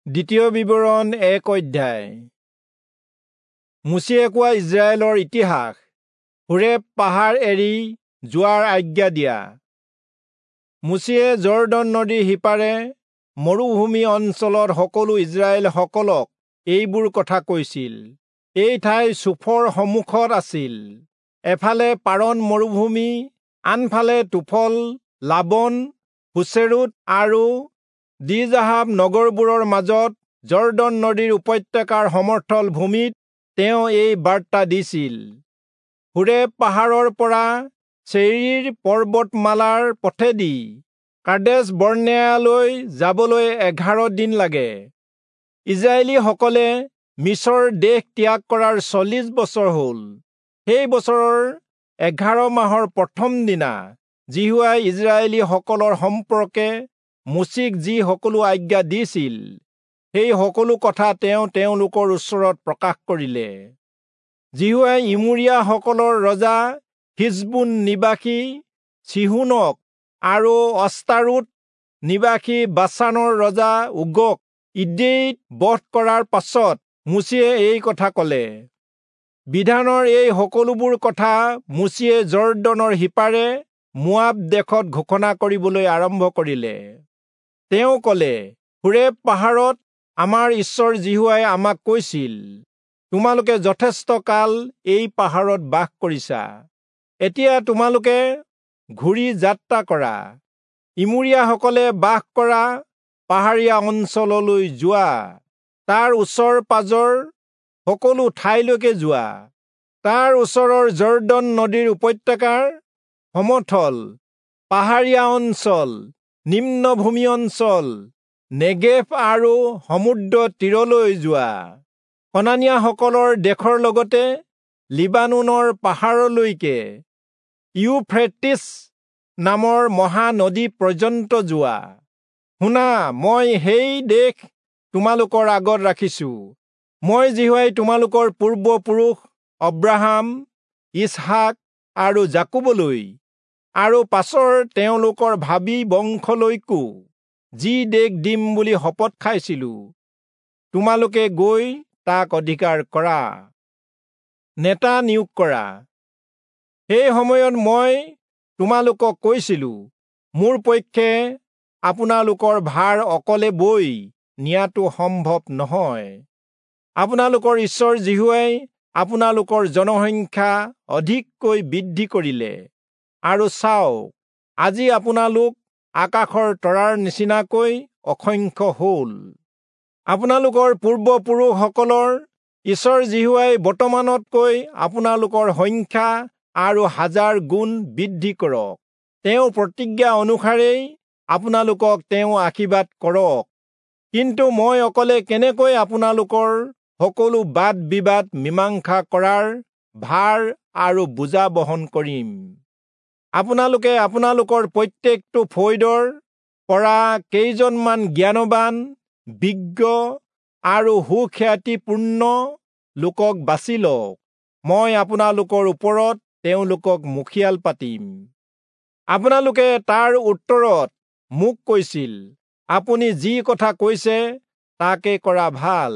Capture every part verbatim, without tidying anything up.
দ্বিতীয় বিৱৰণ এক অধ্যায়। মোচিয়ে কোৱা ইস্ৰায়েলৰ ইতিহাস। হোৰেব পাহাৰ এৰি যোৱাৰ আজ্ঞা দিয়া। মোচিয়ে যৰ্দন নদীৰ সিপাৰে মৰুভূমি অঞ্চলত সকলো ইস্ৰায়েলসকলক এইবোৰ কথা কৈছিল। এই ঠাই চূফৰ সন্মুখত আছিল। এফালে পাৰণ মৰুভূমি, আনফালে তোফল, লাবন, হোচেৰোত আৰু দিজাহাব নগৰবোৰৰ মাজত যৰ্দন নদীৰ উপত্যকাৰ সমথল ভূমিত তেওঁ এই বাৰ্তা দিছিল। হোৰেব পাহাৰৰ পৰা চেয়ীৰ পৰ্বতমালাৰ পথেদি কাদেচ বৰ্ণেয়ালৈ যাবলৈ এঘাৰ দিন লাগে। ইস্ৰায়েলীসকলে মিচৰ দেশ ত্যাগ কৰাৰ চল্লিশ বছৰ হ'ল। সেই বছৰৰ এঘাৰ মাহৰ প্ৰথম দিনা যিহোৱাই ইস্ৰায়েলীসকলৰ সম্পৰ্কে মোচিক যি সকলো আজ্ঞা দিছিল, সেই সকলো কথা তেওঁ তেওঁলোকৰ ওচৰত প্ৰকাশ কৰিলে। যিহোৱাই ইমোৰীয়াসকলৰ ৰজা হিচবোন নিবাসী চীহোনক আৰু অস্তাৰোত নিবাসী বাচানৰ ৰজা ওগক ইদ্ৰেয়ীত বধ কৰাৰ পাছত মোচিয়ে এই কথা ক'লে। বিধানৰ এই সকলোবোৰ কথা মোচিয়ে যৰ্দনৰ সিপাৰে মোৱাব দেশত ঘোষণা কৰিবলৈ আৰম্ভ কৰিলে। তেওঁ ক'লে, হোৰেব পাহাৰত আমাৰ ঈশ্বৰ যিহোৱাই আমাক কৈছিল, তোমালোকে যথেষ্ট কাল এই পাহাৰত বাস কৰিছা। এতিয়া তোমালোকে ঘূৰি যাত্ৰা কৰা, ইমোৰীয়াসকলে বাস কৰা পাহাৰীয়া অঞ্চললৈ যোৱা, তাৰ ওচৰ পাজৰ সকলো ঠাইলৈকে যোৱা, তাৰ ওচৰৰ যৰ্দন নদীৰ উপত্যকাৰ সমথল, পাহাৰীয়া অঞ্চল, নিম্নভূমি অঞ্চল, নেগেভ আৰু সমুদ্ৰ তীৰলৈ যোৱা, কনানীয়াসকলৰ দেশৰ লগতে লিবানোনৰ পাহাৰলৈকে, ইউফ্ৰেটিছ নামৰ মহানদী পৰ্যন্ত যোৱা। শুনা, মই সেই দেশ তোমালোকৰ আগত ৰাখিছো। মই যিহোৱাই তোমালোকৰ পূৰ্বপুৰুষ অব্ৰাহাম, ইচহাক আৰু যাকোবলৈ আৰু পাছৰ তেওঁলোকৰ ভাবী বংশলৈকো যি দেশ দিম বুলি শপত খাইছিলো, তোমালোকে গৈ তাক অধিকাৰ কৰা। নেতা নিয়োগ কৰা। সেই সময়ত মই তোমালোকক কৈছিলো, মোৰ পক্ষে আপোনালোকৰ ভাৰ অকলে বৈ নিয়াটো সম্ভৱ নহয়। আপোনালোকৰ ঈশ্বৰ যিহোৱাই আপোনালোকৰ জনসংখ্যা অধিককৈ বৃদ্ধি কৰিলে, আৰু চাওক, আজি আপোনালোক আকাশৰ তৰাৰ নিচিনাকৈ অসংখ্য হ'ল। আপোনালোকৰ পূৰ্বপুৰুষসকলৰ ঈশ্বৰ যিহোৱাই বৰ্তমানতকৈ আপোনালোকৰ সংখ্যা আৰু হাজাৰ গুণ বৃদ্ধি কৰক। তেওঁ প্ৰতিজ্ঞা অনুসাৰেই আপোনালোকক তেওঁ আশীৰ্বাদ কৰক। কিন্তু মই অকলে কেনেকৈ আপোনালোকৰ সকলো বাদ বিবাদ মীমাংসা কৰাৰ ভাৰ আৰু বোজা বহন কৰিম? আপোনালোকে আপোনালোকৰ প্ৰত্যেকটো ফৈদৰ পৰা কেইজনমান জ্ঞানৱান, বিজ্ঞ আৰু সুখ্যাতিপূৰ্ণ লোকক বাছি লওক। মই আপোনালোকৰ ওপৰত তেওঁলোকক মুখিয়াল পাতিম। আপোনালোকে তাৰ উত্তৰত মোক কৈছিল, আপুনি যি কথা কৈছে তাকে কৰা ভাল।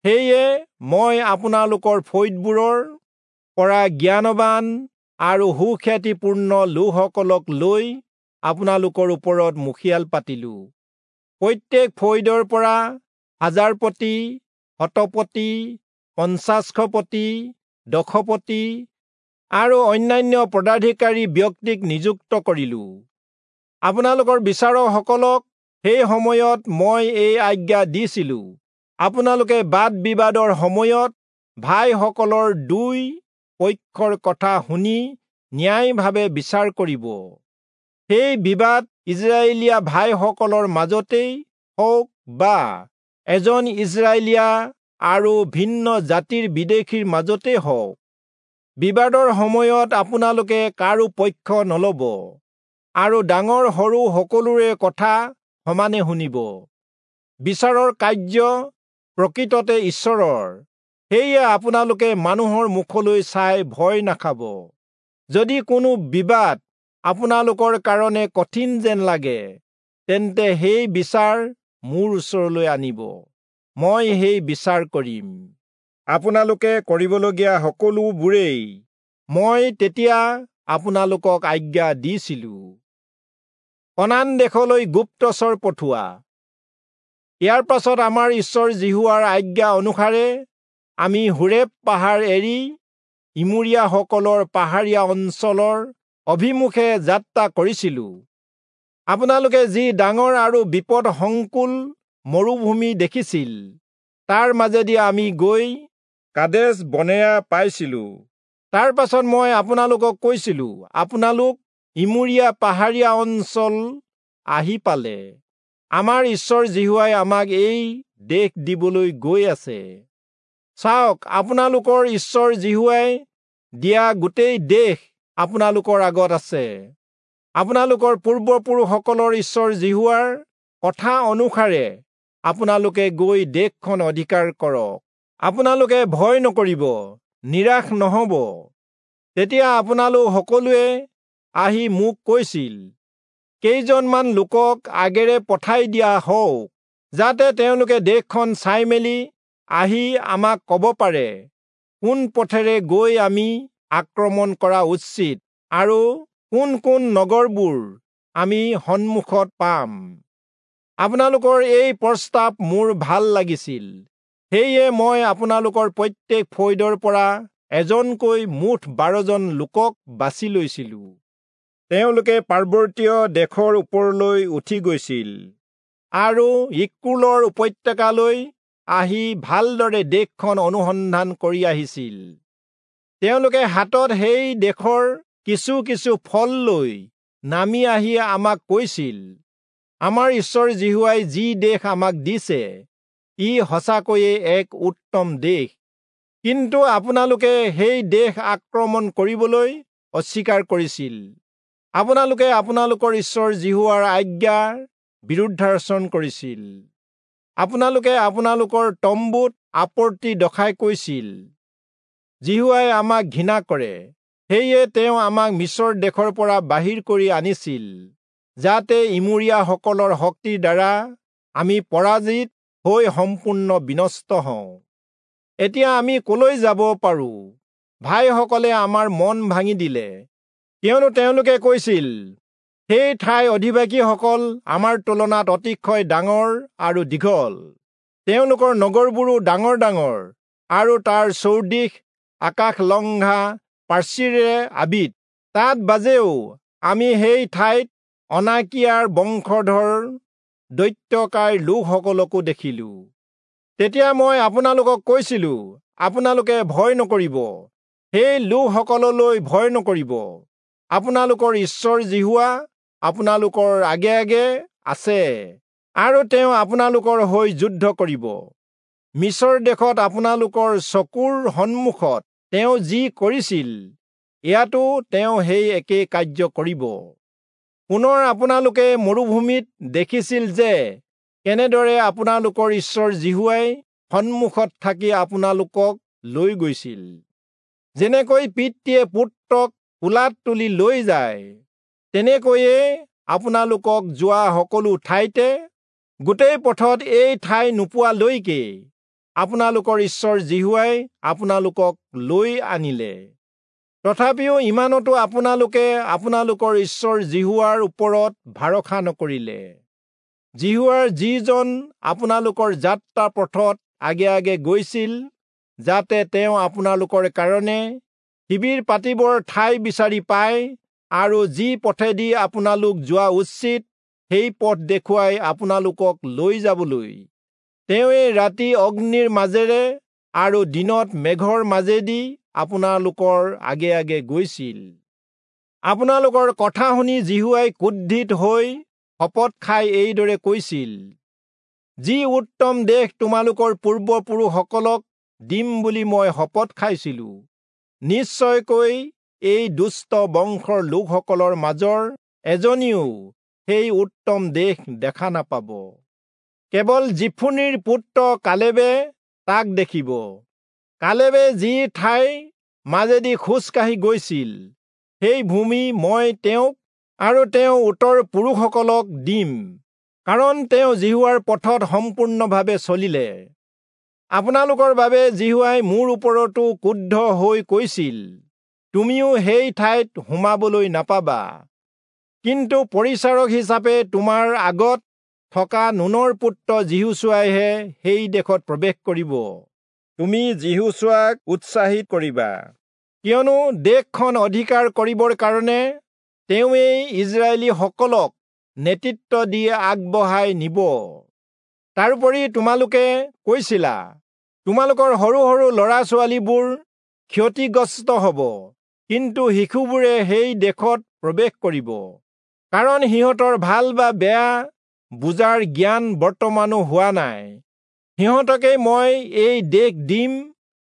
সেয়ে মই আপোনালোকৰ ফৈদবোৰৰ পৰা জ্ঞানৱান আৰু সুখ্যাতিপূৰ্ণ লোকসকলক লৈ আপোনালোকৰ ওপৰত মুখিয়াল পাতিলো। প্ৰত্যেক ফৈদৰ পৰা হাজাৰপতি, শতপতি, পঞ্চাশপতি, দশপতি আৰু অন্যান্য পদাধিকাৰী ব্যক্তিক নিযুক্ত কৰিলো। আপোনালোকৰ বিচাৰকসকলক সেই সময়ত মই এই আজ্ঞা দিছিলো, আপোনালোকে বাদ বিবাদৰ সময়ত ভাইসকলৰ দুই পক্ষৰ কথা শুনি ন্যায়ভাৱে বিচাৰ কৰিব। সেই বিবাদ ইস্ৰায়েলীয়া ভাইসকলৰ মাজতেই হওক বা এজন ইস্ৰায়েলীয়া আৰু ভিন্ন জাতিৰ বিদেশীৰ মাজতেই হওক, বিবাদৰ সময়ত আপোনালোকে কাৰো পক্ষ নলব আৰু ডাঙৰ সৰু সকলোৰে কথা সমানে শুনিব। বিচাৰৰ কাৰ্য প্ৰকৃততে ঈশ্বৰৰ, সেয়ে আপোনালোকে মানুহৰ মুখলৈ চাই ভয় নাখাব। যদি কোনো বিবাদ আপোনালোকৰ কাৰণে কঠিন যেন লাগে, তেন্তে সেই বিচাৰ মোৰ ওচৰলৈ আনিব। মই সেই বিচাৰ কৰিম। আপোনালোকে কৰিবলগীয়া সকলোবোৰেই মই তেতিয়া আপোনালোকক আজ্ঞা দিছিলো। কনান দেশলৈ গুপ্তচৰ পঠোৱা। ইয়াৰ পাছত আমাৰ ঈশ্বৰ যিহোৱাৰ আজ্ঞা অনুসাৰে আমি হোৰেব পাহাৰ এৰি ইমোৰীয়াসকলৰ পাহাৰীয়া অঞ্চলৰ অভিমুখে যাত্ৰা কৰিছিলো। আপোনালোকে যি ডাঙৰ আৰু বিপদ সংকুল মৰুভূমি দেখিছিল, তাৰ মাজেদি আমি গৈ কাদেশ বনেয়া পাইছিলো। তাৰ পাছত মই আপোনালোকক কৈছিলো, আপোনালোক ইমোৰীয়া পাহাৰীয়া অঞ্চল আহি পালে। আমাৰ ঈশ্বৰ যিহোৱাই আমাক এই দেশ দিবলৈ গৈ আছে। চাওক, আপোনালোকৰ ঈশ্বৰ যিহোৱাই দিয়া গোটেই দেশ আপোনালোকৰ আগত আছে। আপোনালোকৰ পূৰ্বপুৰুষসকলৰ ঈশ্বৰ যিহোৱাৰ কথা অনুসাৰে আপোনালোকে গৈ দেশখন অধিকাৰ কৰক। আপোনালোকে ভয় নকৰিব, নিৰাশ নহ'ব। তেতিয়া আপোনালোক সকলোৱে আহি মোক কৈছিল, কেইজনমান লোকক আগেৰে পঠাই দিয়া হওক, যাতে তেওঁলোকে দেশখন চাই মেলি আহি আমাক ক'ব পাৰে কোন পথেৰে গৈ আমি আক্ৰমণ কৰা উচিত আৰু কোন কোন নগৰবোৰ আমি সন্মুখত পাম। আপোনালোকৰ এই প্ৰস্তাৱ মোৰ ভাল লাগিছিল, সেয়ে মই আপোনালোকৰ প্ৰত্যেক ফৈদৰ পৰা এজনকৈ মুঠ বাৰজন লোকক বাছি লৈছিলো। তেওঁলোকে পাৰ্বতীয় দেশৰ ওপৰলৈ উঠি গৈছিল আৰু ইক্কুলৰ উপত্যকালৈ আহি ভালদৰে দেশখন অনুসন্ধান কৰি আহিছিল। তেওঁলোকে হাতত সেই দেশৰ কিছু কিছু ফল লৈ নামি আহি আমাক কৈছিল, আমাৰ ঈশ্বৰ যিহোৱাই যি দেশ আমাক দিছে, ই সঁচাকৈয়ে এক উত্তম দেশ। কিন্তু আপোনালোকে সেই দেশ আক্ৰমণ কৰিবলৈ অস্বীকাৰ কৰিছিল। আপোনালোকে আপোনালোকৰ ঈশ্বৰ যিহোৱাৰ আজ্ঞাৰ বিৰুদ্ধাচৰণ কৰিছিল। আপোনালোকে আপোনালোকৰ তম্বুত আপত্তি দশাই কৈছিল, যিহোৱাই আমাক ঘৃণা কৰে, সেয়ে তেওঁ আমাক মিচৰ দেশৰ পৰা বাহিৰ কৰি আনিছিল, যাতে ইমোৰীয়াসকলৰ শক্তিৰ দ্বাৰা আমি পৰাজিত হৈ সম্পূৰ্ণ বিনষ্ট হওঁ। এতিয়া আমি কলৈ যাব পাৰো? ভাইসকলে আমাৰ মন ভাঙি দিলে, কিয়নো তেওঁলোকে কৈছিল, সেই ঠাই অধিবাসীসকল আমাৰ তুলনাত অতিশয় ডাঙৰ আৰু দীঘল, তেওঁলোকৰ নগৰবোৰো ডাঙৰ ডাঙৰ আৰু তাৰ চৌদিশ আকাশলংঘা প্ৰাচীৰেৰে আবৃত। তাত বাজেও আমি সেই ঠাইত অনাকিয়াৰ বংশধৰ দৈত্যকায় লোকসকলকো দেখিলো। তেতিয়া মই আপোনালোকক কৈছিলো, আপোনালোকে ভয় নকৰিব, সেই লোকসকললৈ ভয় নকৰিব। আপোনালোকৰ ঈশ্বৰ যিহোৱা আপোনালোকৰ আগে আগে আছে আৰু তেওঁ আপোনালোকৰ হৈ যুদ্ধ কৰিব। মিচৰ দেশত আপোনালোকৰ চকুৰ সন্মুখত তেওঁ যি কৰিছিল, ইয়াতো তেওঁ সেই একে কাৰ্য কৰিব। পুনৰ আপোনালোকে মৰুভূমিত দেখিছিল যে কেনেদৰে আপোনালোকৰ ঈশ্বৰ যিহোৱাই সন্মুখত থাকি আপোনালোকক লৈ গৈছিল। যেনেকৈ পিতৃয়ে পুত্ৰক কোলাত তুলি লৈ যায়, তেনেকৈয়ে আপোনালোকক যোৱা সকলো ঠাইতে গোটেই পথত এই ঠাই নোপোৱালৈকে আপোনালোকৰ ঈশ্বৰ যিহোৱাই আপোনালোকক লৈ আনিলে। তথাপিও ইমানতো আপোনালোকে আপোনালোকৰ ঈশ্বৰ যিহোৱাৰ ওপৰত ভৰসা নকৰিলে। যিহোৱাৰ যিজন আপোনালোকৰ যাত্ৰা পথত আগে আগে গৈছিল, যাতে তেওঁ আপোনালোকৰ কাৰণে শিবিৰ পাতিবৰ ঠাই বিচাৰি পায় আৰু যি পথেদি আপোনালোক যোৱা উচিত সেই পথ দেখুৱাই আপোনালোকক লৈ যাবলৈ, তেওঁৱে ৰাতি অগ্নিৰ মাজেৰে আৰু দিনত মেঘৰ মাজেদি আপোনালোকৰ আগে আগে গৈছিল। আপোনালোকৰ কথা শুনি যিহোৱাই ক্ৰোধিত হৈ শপত খাই এইদৰে কৈছিল, যি উত্তম দেশ তোমালোকৰ পূৰ্বপুৰুষসকলক দিম বুলি মই শপত খাইছিলো, নিশ্চয়কৈ এই দুষ্ট বংশৰ লোকসকলৰ মাজৰ এজনীও সেই উত্তম দেশ দেখা নাপাব। কেৱল যিফুনিৰ পুত্ৰ কালেবে তাক দেখিব। কালেবে যি ঠাইৰ মাজেদি খোজকাঢ়ি গৈছিল, সেই ভূমি মই তেওঁক আৰু তেওঁ উত্তৰ পুৰুষসকলক দিম, কাৰণ তেওঁ যিহোৱাৰ পথত সম্পূৰ্ণভাৱে চলিলে। আপোনালোকৰ বাবে যিহোৱাই মোৰ ওপৰতো ক্ৰুদ্ধ হৈ কৈছিল, তুমিও সেই ঠাইত সোমাবলৈ নাপাবা। কিন্তু পৰিচাৰক হিচাপে তোমাৰ আগত থকা নুনৰ পুত্ৰ যিহোচূৱাইহে সেই দেশত প্ৰৱেশ কৰিব। তুমি যিহোচূৱাক উৎসাহিত কৰিবা, কিয়নো দেশখন অধিকাৰ কৰিবৰ কাৰণে তেওঁৱেই ইস্ৰায়েলীসকলক নেতৃত্ব দি আগবঢ়াই নিব। তাৰোপৰি তোমালোকে কৈছিলা, তোমালোকৰ সৰু সৰু ল'ৰা ছোৱালীবোৰ ক্ষতিগ্ৰস্ত হ'ব, কিন্তু শিশুবোৰে সেই দেশত প্ৰৱেশ কৰিব, কাৰণ সিহঁতৰ ভাল বা বেয়া বুজাৰ জ্ঞান বৰ্তমানো হোৱা নাই। সিহঁতকেই মই এই দেশ দিম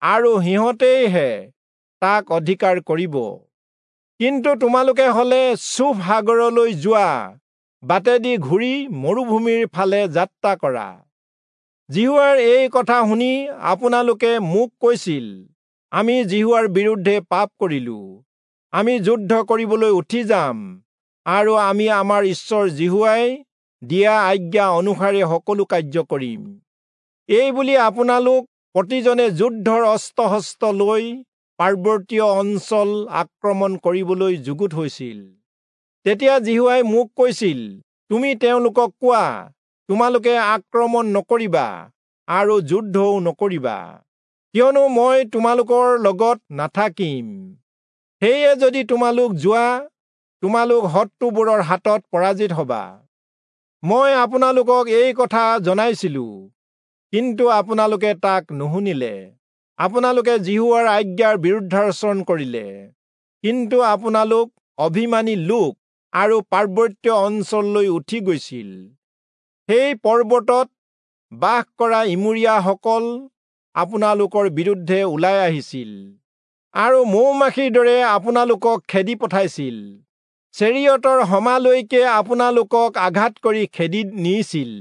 আৰু সিহঁতেইহে তাক অধিকাৰ কৰিব। কিন্তু তোমালোকে হলে চূফ সাগৰলৈ যোৱা বাটেদি ঘূৰি মৰুভূমিৰ ফালে যাত্ৰা কৰা। যিহোৱাৰ এই কথা শুনি আপোনালোকে মোক কৈছিল, আমি যিহোৱাৰ বিৰুদ্ধে পাপ কৰিলো, আমি যুদ্ধ কৰিবলৈ উঠি যাম আৰু আমি আমাৰ ঈশ্বৰ যিহোৱাই দিয়া আজ্ঞা অনুসাৰে সকলো কাৰ্য কৰিম। এই বুলি আপোনালোক প্ৰতিজনে যুদ্ধৰ অস্ত্ৰ শস্ত্ৰ লৈ পাৰ্বতীয় অঞ্চল আক্ৰমণ কৰিবলৈ যুগুত হৈছিল। তেতিয়া যিহোৱাই মোক কৈছিল, তুমি তেওঁলোকক কোৱা, তোমালোকে আক্ৰমণ নকৰিবা আৰু যুদ্ধও নকৰিবা, কিয়নো মই তোমালোকৰ লগত নাথাকিম। সেয়ে যদি তোমালোক যোৱা, তোমালোক শত্ৰুবোৰৰ হাতত পৰাজিত হবা। মই আপোনালোকক এই কথা জনাইছিলো, কিন্তু আপোনালোকে তাক নুশুনিলে। আপোনালোকে যিহোৱাৰ আজ্ঞাৰ বিৰুদ্ধাচৰণ কৰিলে। কিন্তু আপোনালোক অভিমানী লোক আৰু পাৰ্বত্য অঞ্চললৈ উঠি গৈছিল। সেই পৰ্বতত বাস কৰা ইমূৰীয়াসকল আপোনালোকৰ বিৰুদ্ধে ওলাই আহিছিল আৰু মৌ-মাখিৰ দৰে আপোনালোকক খেদি পঠাইছিল। চেৰিয়তৰ সমালৈকে আপোনালোকক আঘাত কৰি খেদি নিছিল।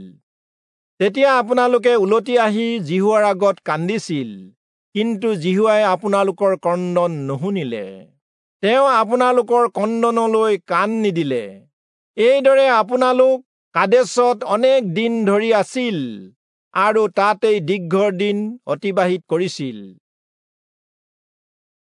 তেতিয়া আপোনালোকে উলটি আহি যিহোৱাৰ আগত কান্দিছিল, কিন্তু যিহোৱাই আপোনালোকৰ ক্ৰন্দন নুশুনিলে। তেওঁ আপোনালোকৰ ক্ৰন্দনলৈ কাণ নিদিলে। এইদৰে আপোনালোক কাদেশত অনেক দিন ধৰি আছিল আৰু তাতেই দীৰ্ঘদিন অতিবাহিত কৰিছিল।